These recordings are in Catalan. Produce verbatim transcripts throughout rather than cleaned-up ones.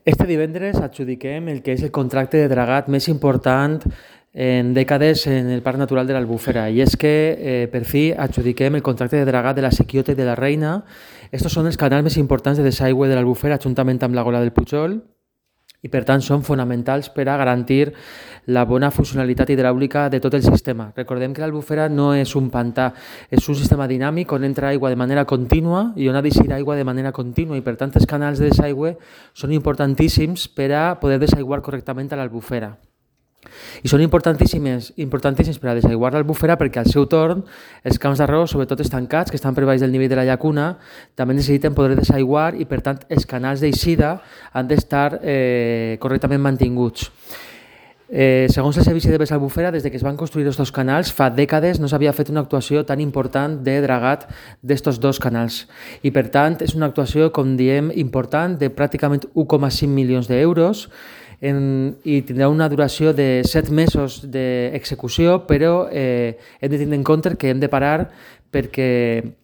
Este divendres adjudiquem el que és el contracte de dragat més important en dècades en el Parc Natural de l'Albufera, i és que eh, per fi adjudiquem el contracte de dragat de la Sequiota i de la Reina. Estos són els canals més importants de desaigüe de l'Albufera, juntament amb la Gola del Pujol, i per tant són fonamentals per a garantir la bona funcionalitat hidràulica de tot el sistema. Recordem que l'Albufera no és un pantà, és un sistema dinàmic on entra aigua de manera contínua i on ha d'eixir aigua de manera contínua, i per tant els canals de desaigüe són importantíssims per a poder desaiguar correctament a l'Albufera. I són importantíssims, importantíssims per a desaiguar l'Albufera perquè al seu torn els camps d'arròs, sobretot els tancats, que estan per baix del nivell de la llacuna, també necessiten poder desaiguar i per tant els canals d'eixida han d'estar eh, correctament mantinguts. Eh, segons el Servici de Bes Albufera, des de que es van construir aquests canals, fa dècades no s'havia fet una actuació tan important de dragat d'estos dos canals. I per tant és una actuació, com diem, important de pràcticament un coma cinc milions d'euros, En, i tindrà una duració de set mesos d'execució, però eh, hem de tenir en compte que hem de parar perquè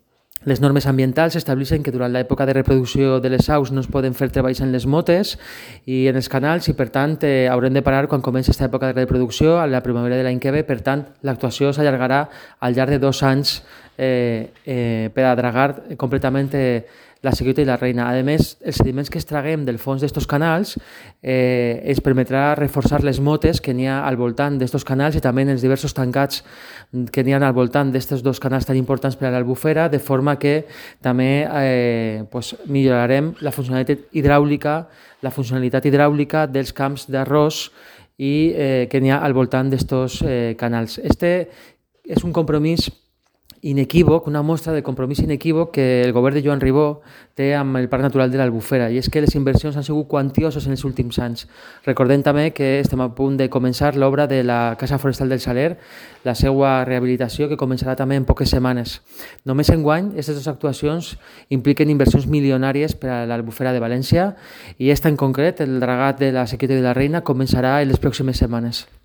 les normes ambientals estableixen que durant l'època de reproducció de les aus no es poden fer treballs en les motes i en els canals, i per tant eh, haurem de parar quan comenci aquesta època de reproducció a la primavera de l'any que ve. Per tant, l'actuació s'allargarà al llarg de dos anys eh, eh, per a dragar completament eh, la Sequiota i la Reina. A més, els sediments que extraguem del fons d'estos canals eh, ens permetrà reforçar les motes que n'hi ha al voltant d'estos canals i també en els diversos tancats que n'hi ha al voltant d'estos dos canals tan importants per a l'Albufera, de forma que també eh, pues, millorarem la funcionalitat hidràulica, la funcionalitat hidràulica dels camps d'arròs i eh, que n'hi ha al voltant d'estos eh, canals. Este és un compromís inequívoc, una mostra de compromís inequívoc que el govern de Joan Ribó té amb el Parc Natural de l'Albufera, i és que les inversions han sigut quantioses en els últims anys. Recordem també que estem a punt de començar l'obra de la Casa Forestal del Saler, la seva rehabilitació, que començarà també en poques setmanes. Només enguany, aquestes dues actuacions impliquen inversions milionàries per a l'Albufera de València, i esta en concret, el dragat de la Sequiota i de la Reina, començarà en les pròximes setmanes.